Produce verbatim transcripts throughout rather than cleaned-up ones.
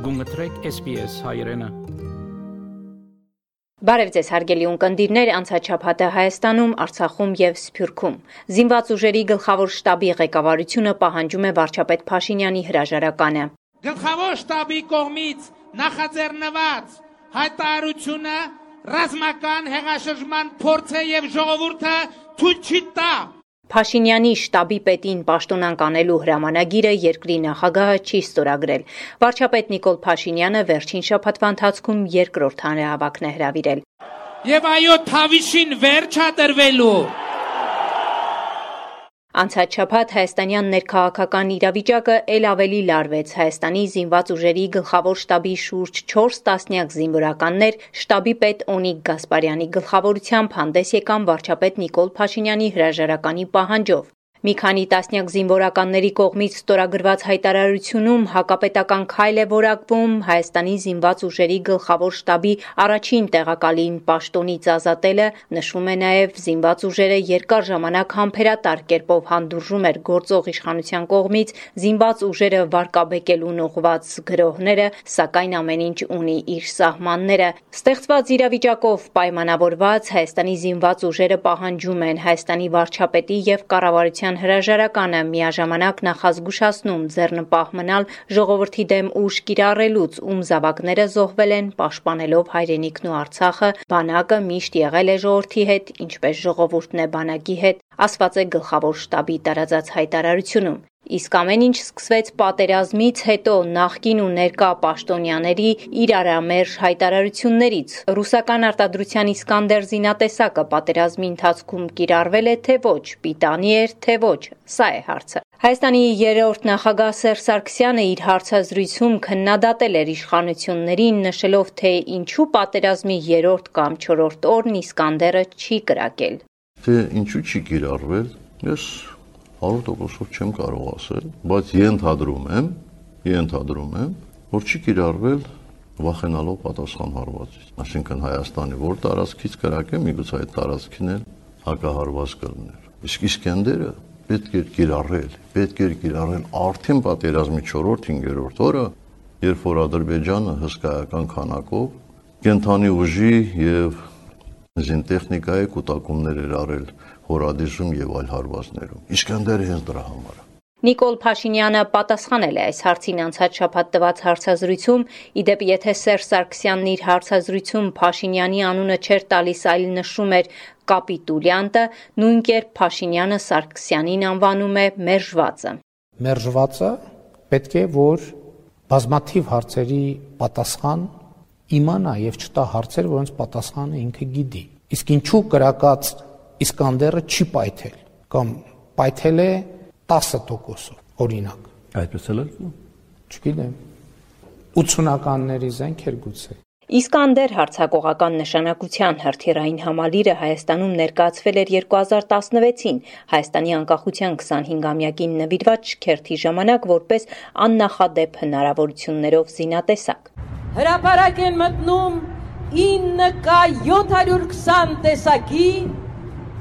Գունգտրեք S B S հայրենը։ Բարև ձեզ հարգելի ունկնդիրներ, անցաչափահատը Հայաստանում, Արցախում եւ Սփյուռքում։ Զինված ուժերի գլխավոր շտաբի ղեկավարությունը պահանջում է վարչապետ Փաշինյանի հրաժարականը։ Գլխավոր շտաբի կողմից նախաձեռնված հայտարարությունը ռազմական հեղաշրջման փորձ է եւ ժողովուրդը թույլ չի տա։ Փաշինյանի շտաբի պետին պաշտոնանկ անելու հրամանագիրը երկրի նախագահը չի ստորագրել։ Վարչապետ Նիկոլ Փաշինյանը վերջին շաբաթվա ընթացքում երկրորդ հանրահավաքն է հրավիրել։ Եվ այո, թավիշին վերջ է տրվելու։ Անցած շաբաթ հայաստանյան ներքաղաքական իրավիճակը ել ավելի լարվեց։ Հայաստանի զինված ուժերի գլխավոր շտաբի շուրջ չորս տասնյակ զինվորականներ շտաբի պետ Օնիկ Գասպարյանի գլխավորությամբ հանդես եկան վարչապետ Նիկոլ Փաշինյանի հրաժարականի պահանջով։ Մի քանի տասնյակ զինվորականների կողմից ստորագրված հայտարարությունում հակապետական քայլ է որակվում Հայաստանի զինված ուժերի գլխավոր շտաբի առաջին տեղակալին պաշտոնից ազատելը, նշվում է նաև զինված ուժերը երկար ժամանակ համբերատար կերպով հանդուրժում էր գործող իշխանության կողմից զինված ուժերը վարկաբեկելուն ուղղված գրոհները, սակայն ամեն ինչ ունի իր սահմանները։ Ստեղծված իրավիճակով պայմանավորված Հայաստանի զինված ուժերը պահանջում են Հայաստանի վարչապետի եւ կառավարության հրաժարականը, միաժամանակ նախազգուշացնում ձեռնպահ մնալ ժողովրդի դեմ ուժ կիրառելուց, ում զավակները զոհվել են պաշտպանելով հայրենիքն ու Արցախը, բանակը միշտ եղել է ժողովրդի հետ, ինչպես ժողովուրդն է բանակի հետ, ասված է գլխավոր շտաբի տարածած հայտարարությունում։ Իսկ ամեն ինչ սկսվեց պատերազմից հետո նախկին ու ներկա պաշտոնյաների իրարամերժ հայտարարություններից։ Ռուսական արտադրության Իսկանդեր զինատեսակը պատերազմի ընթացքում կիրառվել է թե ոչ, պիտանի էր թե ոչ, սա է հարցը։ Հայաստանի երրորդ նախագահ Սերժ Սարգսյանը իր հարցազրույցում քննադատել էր իշխանություններին, նշելով, թե ինչու պատերազմի երրորդ կամ չորրորդ օրն Իսկանդերը չի կրակել։ Թե ինչու չի կիրառվել, ես հարյուր տոկոսով չեմ կարող ասել, բայց ենթադրում եմ, ենթադրում եմ, որ չի կիրառվել վախենալով պատասխան հարվածից։ Այսինքն Հայաստանի որ տարածքից կրակե, միգուցե այդ տարածքին էլ հակահարված կլներ։ Իսկ Իսկանդերը պետք է կիրառել, պետք է կիրառել արդեն պատերազմի չորրորդ հինգերորդ օրը, երբ որ Ադրբեջանը հսկայական քանակով կենթանի ուժի եւ զինտեխնիկայի կուտակումներ էր արել հորադիժում եւ այլ հարվածներում։ Իսկանդերը հենց դրա համար է։ Նիկոլ Փաշինյանը պատասխանել է այս հարցին անցած շաբաթ տված հարցազրույցում, իդեպ եթե Սերժ Սարգսյանն իր հարցազրույցում Փաշինյանի անունը չէր տալիս, այլ նշում էր կապիտուլյանտը, նույն կերպ Փաշինյանը Սարգսյանին անվանում է մերժվածը։ Մերժվածը պետք է որ բազմաթիվ հարցերի պատասխան իմանա եւ չտա հարցեր, որոնց պատասխանը ինքը գիտի։ Իսկ ինչու կրակած Իսկանդերը չի պայթել կամ պայթել է տասը տոկոսով օրինակ։ Այդպես էլ է։ Չգիտեմ։ ութսունականների զենքեր գուցե։ Իսկանդեր հարձակողական նշանակության հրթիռային համալիրը Հայաստանում ներկայացվել էր երկու հազար տասնվեցին Հայաստանի անկախության քսանհինգամյակին նվիրված շքերթի ժամանակ որպես աննախադեպ հնարավորություններով զինատեսակ։ Հրապարակ են մտնում ինը կա յոթ հարյուր քսան տեսակի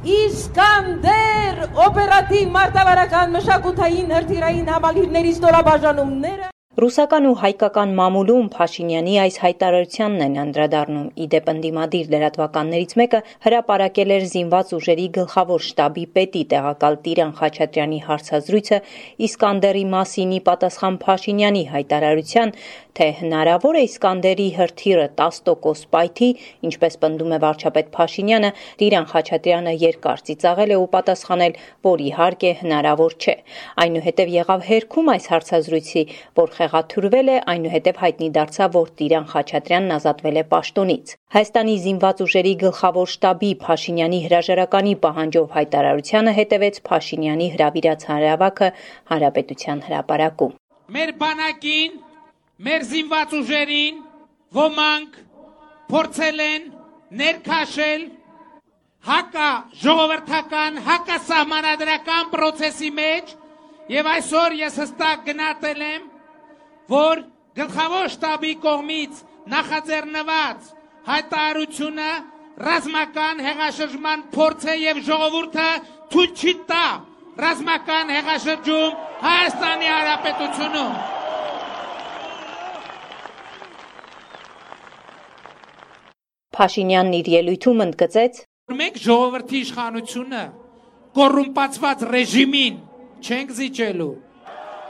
Իսկանդեր օպերատիվ մարտավարական մշակութային հրթիռային համալիրների ստորաբաժանումները։ Ռուսական ու հայկական մամուլում Փաշինյանի այս հայտարարությանն են անդրադառնում։ Իդեպ ընդդիմադիր լրատվականներից մեկը հրապարակել էր զինված ուժերի գլխավոր շտաբի պետի տեղակալ Տիրան Խաչատրյանի հարցազրույցը Իսկանդերի մասինի պատասխան Փաշինյանի հայտարարության, թե հնարավոր է Իսկանդերի հրթիռը տասը տոկոս պայթի, ինչպես պնդում է վարչապետ Փաշինյանը, Տիրան Խաչատրյանը երկար ծիծաղել է ու պատասխանել, որ իհարկե հնարավոր չէ։ Այնուհետև եղավ հերքում այս հարցազրույցի, որ խեղաթյուրվել է, այնուհետև հայտնի դարձավ, որ Տիրան Խաչատրյանն ազատվել է պաշտոնից։ Հայաստանի զինված ուժերի գլխավոր շտաբի Փաշինյանի հրաժարականի պահանջով հայտարարությանը հետևեց Փաշինյանի հրավիրած հանրահավաքը Հանրապետության հրապարակում։ Մեր բանակին, մեր զինված ուժերին ոմանք փորձել են ներքաշել հակա ժողովրդական, հակա սահմանադրական process-ի մեջ եւ այսօր ես հստակ գնահատել եմ, որ գլխավոր շտաբի կողմից նախաձեռնված հայտարարությունը ռազմական հեղաշրջման փորձ է եւ ժողովուրդը թույլ չի տա ռազմական հեղաշրջում Հայաստանի Հանրապետությունում։ Փաշինյանն իր ելույթում ընդգծեց. Մենք ժողովրդի իշխանությունը կոռումպացված ռեժիմին չենք զիջելու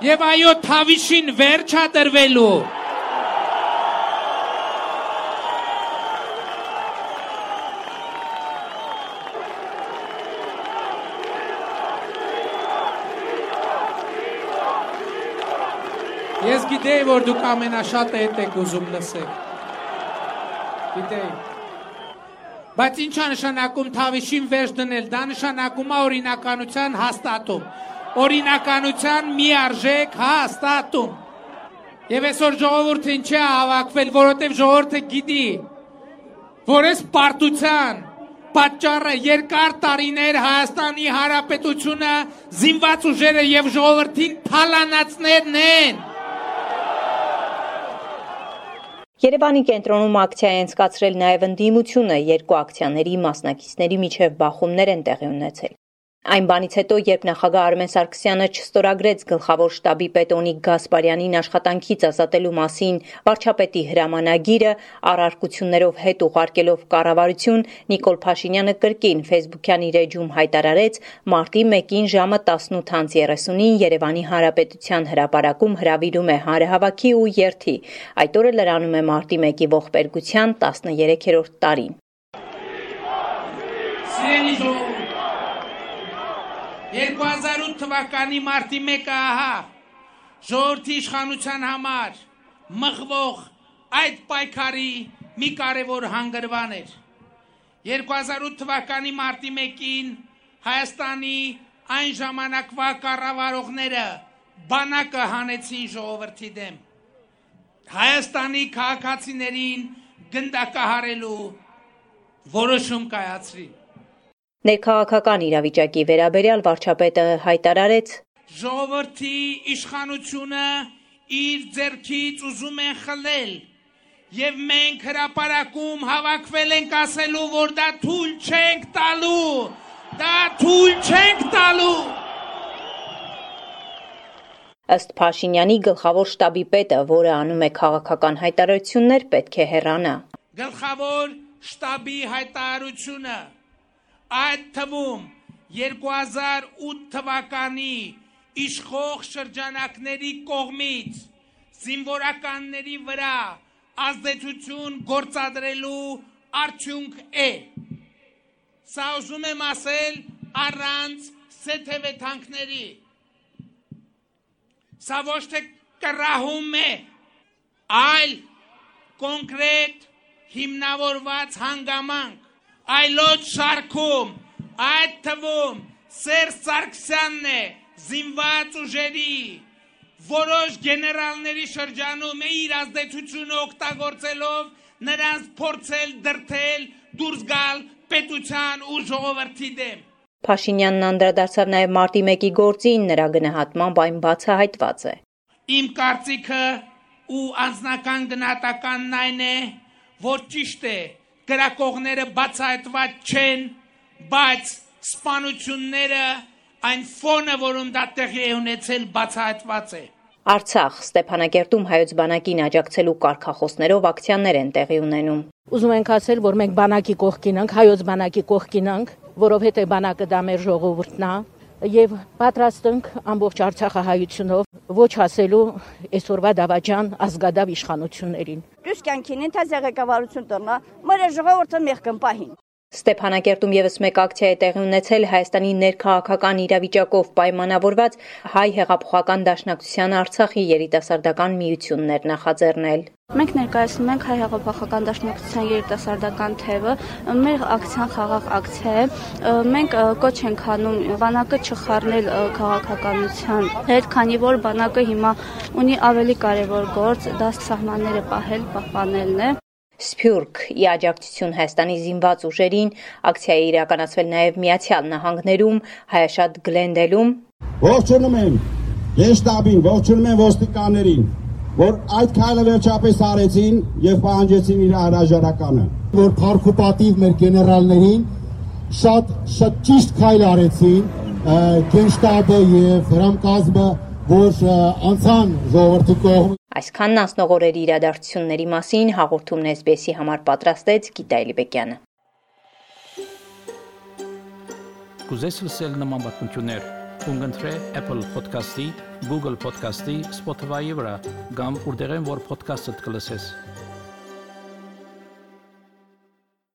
եւ այո թավիշին վերջ է տրվելու։ Ես գիտեի, որ դուք ամենաշատը հետ եք ուզում լսեք։ Գիտեի։ Բայց ինչ է նշանակում թավիշին վերջ դնել, դա նշանակում է օրինականության հաստատում, օրինականության միարժեք հաստատում։ Եվ այսօր ժողովուրդը ինչ է հավաքվել, որովհետև ժողովուրդը գիտի, որ այս պարտության պատճառը երկար տարիներ Հայաստանի Հանրապետությունը զինված ուժերը եւ ժողովրդին թալանացներն են։ Երևանի կենտրոնում ակցիա է անցկացրել նաև ընդդիմությունը, երկու ակցիաների մասնակիցների միջև բախումներ են տեղի ունեցել։ Այն բանից հետո, երբ նախագահ Արմեն Սարգսյանը չստորագրեց գլխավոր շտաբի պետ Օնիկ Գասպարյանին աշխատանքից ազատելու մասին վարչապետի հրամանագիրը, առարկություններով հետ ուղարկելով կառավարություն, Նիկոլ Փաշինյանը կրկին ֆեյսբուքյան իր էջում հայտարարեց մարտի մեկին ժամը տասնութ անց երեսունին Երևանի Հանրապետության հրապարակում հրավիրում է հանրահավաքի ու երթի։ Այդ օրը լրանում է մարտի մեկի ողբերգության տասներեքերորդ տարին։ երկու հազար ութ թվականի մարտի մեկը ահա ժողովրդի իշխանության համար մղվող այդ պայքարի մի կարևոր հանգրվան էր։ երկու հազար ութ թվականի մարտի մեկին Հայաստանի այն ժամանակվա կառավարողները բանակը հանեցին ժողովրդի դեմ։ Հայաստանի քաղաքացիներին գնդակահարելու որոշում կայացրին։ Ներքաղաքական իրավիճակի վերաբերյալ վարչապետը հայտարարեց. Ժողովրդի իշխանությունը իր ձեռքից ուզում են խլել եւ մենք հրապարակում հավաքվել ենք ասելու, որ դա թույլ չենք տալու, դա թույլ չենք տալու։ Ըստ Փաշինյանի գլխավոր շտաբի պետը, որը անում է քաղաքական հայտարարություններ, պետք է հեռանա։ Գլխավոր շտաբի հայտարարությունը այդ թվում երկու հազար ութ թվականի իշխող շրջանակների կողմից զինվորականների վրա ազդեցություն գործադրելու արդյունք է։ Սա ուզում եմ ասել առանց սեթևեթանքների։ Սա ոչ թե կռահում է, այլ կոնկրետ հիմնավորված հանգամանք։ Այլոց շարքում, այդ թվում Սերժ Սարգսյանն է զինված ուժերի որոշ գեներալների շրջանում է իր ազդեցությունը օգտագործելով նրանց փորձել դրթել դուրս գալ պետության ու ժողովրդի դեմ։ Փաշինյանն անդրադարձավ նաև մարտի մեկի գործին, նրա գնահատմամբ այն բացահայտված է։ Իմ կարծիքը ու անձնական գնահատականն այն է, որ ճիշտ է գրակողները բացահայտված չեն, բայց սպանությունները այն ֆոնը, որում դա տեղի է ունեցել, բացահայտված է։ Արցախ, Ստեփանակերտում հայոց բանակին աջակցելու կարգախոսներով ակցիաներ են տեղի ունենում։ Ուզում ենք ասել, որ մենք բանակի կողքին ենք, հայոց բանակի կողքին ենք, որովհետև բանակը դա մեր ժողովուրդն է, եւ պատրաստ ենք ամբողջ Արցախահայությունով ոչ ասելու այսօրվա դավաճան ազգադավ իշխանություններին։ Դուք կյանքին ընթաց ղեկավարություն տնա, մեր ժողովուրդը մեղքն պահին։ Ստեփանակերտում եւս մեկ ակցիա է տեղի ունեցել Հայաստանի ներքաղաքական իրավիճակով պայմանավորված Հայ հեղափոխական դաշնակցության Արցախի երիտասարդական միությունն էր նախաձեռնել։ Մենք ներկայացնում ենք Հայ հեղափոխական դաշնակցության երիտասարդական թևը, մեր ակցիան խաղաղ ակցիա է, մենք կոչ ենք անում բանակը չխառնել քաղաքականության հետ, քանի որ բանակը հիմա ունի ավելի կարևոր գործ, դա սահմանները պահել, պահպանելն է։ Սփյուռք ի աջակցություն Հայաստանի զինված ուժերին ակցիա է իրականացվել նաև Միացյալ Նահանգներում, Հայաշատ Գլենդելում։ Ողջունում եմ գեշտաբին, ողջունում եմ ոստիկաններին, որ այդ քայլը վերջապես արեցին եւ պահանջեցին իր հրաժարականը։ Որ փառքուպատիվ մեր գեներալներին շատ շատ ճիշտ քայլ արեցին, գենշտաբը եւ հրամկազմը որ անցան ժողովրդի կողմից։ Այսքանն անցնող օրերի իրադարձությունների մասին հաղորդումն էս բի էսի համար պատրաստեց Գիտա Էլիբեկյանը։ Կուզես լսել նման բանություններ, կընտրե Apple Podcast-ի, Google Podcast-ի, Spotify-ի վրա, կամ որտեղեն որ podcast-ը կլսես։